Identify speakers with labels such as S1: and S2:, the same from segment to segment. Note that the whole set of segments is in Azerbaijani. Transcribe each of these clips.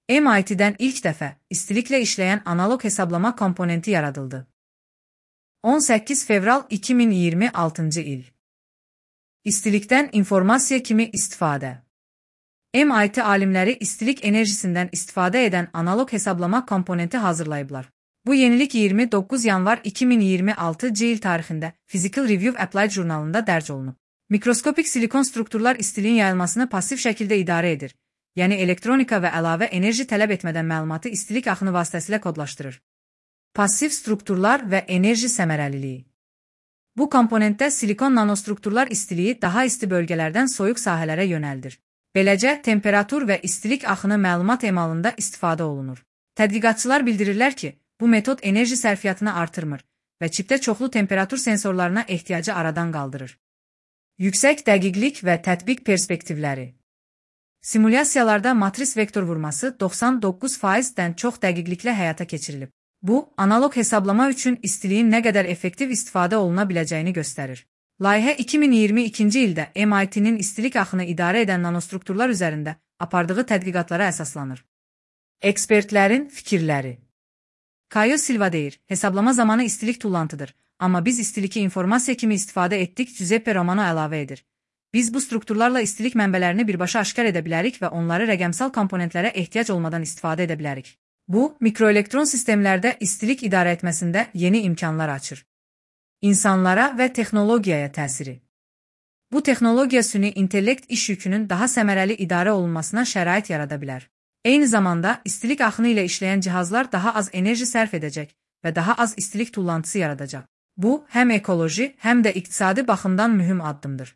S1: MIT'dən ilk dəfə istiliklə işləyən analoq hesablama komponenti yaradıldı. 18 fevral 2026-cı il. İstilikdən informasiya kimi istifadə. MIT alimləri istilik enerjisindən istifadə edən analoq hesablama komponenti hazırlayıblar. Bu yenilik 29 yanvar 2026-cı il tarixində Physical Review Applied jurnalında dərc olunub. Mikroskopik silikon strukturlar istiliyin yayılmasını pasiv şəkildə idarə edir, yəni elektronika və əlavə enerji tələb etmədən məlumatı istilik axını vasitəsilə kodlaşdırır. Pasiv strukturlar və enerji səmərəliliyi. Bu komponentdə silikon nanostrukturlar istiliyi daha isti bölgələrdən soyuq sahələrə yönəldir. Beləcə, temperatur və istilik axını məlumat emalında istifadə olunur. Tədqiqatçılar bildirirlər ki, bu metod enerji sərfiyyatını artırmır və çipdə çoxlu temperatur sensorlarına ehtiyacı aradan qaldırır. Yüksək dəqiqlik və tətbiq perspektivləri. Simulyasiyalarda matris vektor vurması 99%-dən çox dəqiqliklə həyata keçirilib. Bu, analoq hesablama üçün istiliyin nə qədər effektiv istifadə oluna biləcəyini göstərir. Layihə 2022-ci ildə MIT-nin istilik axını idarə edən nanostrukturlar üzərində apardığı tədqiqatlara əsaslanır. Ekspertlərin fikirləri. Caio Silva deyir, hesablama zamanı istilik tullantıdır, amma biz istiliki informasiya kimi istifadə etdik, Giuseppe Romano əlavə edir. Biz bu strukturlarla istilik mənbələrini birbaşa aşkar edə bilərik və onları rəqəmsal komponentlərə ehtiyac olmadan istifadə edə bilərik. Bu, mikroelektron sistemlərdə istilik idarə etməsində yeni imkanlar açır. İnsanlara və texnologiyaya təsiri. Bu texnologiya süni intellekt iş yükünün daha səmərəli idarə olunmasına şərait yarada bilər. Eyni zamanda istilik axını ilə işləyən cihazlar daha az enerji sərf edəcək və daha az istilik tullantısı yaradacaq. Bu, həm ekoloji, həm də iqtisadi baxımdan mühüm addımdır.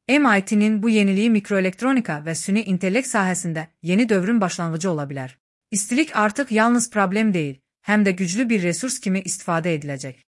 S1: MIT-nin bu yeniliyi mikroelektronika və süni intellekt sahəsində yeni dövrün başlanğıcı ola bilər. İstilik artıq yalnız problem deyil, həm də güclü bir resurs kimi istifadə ediləcək.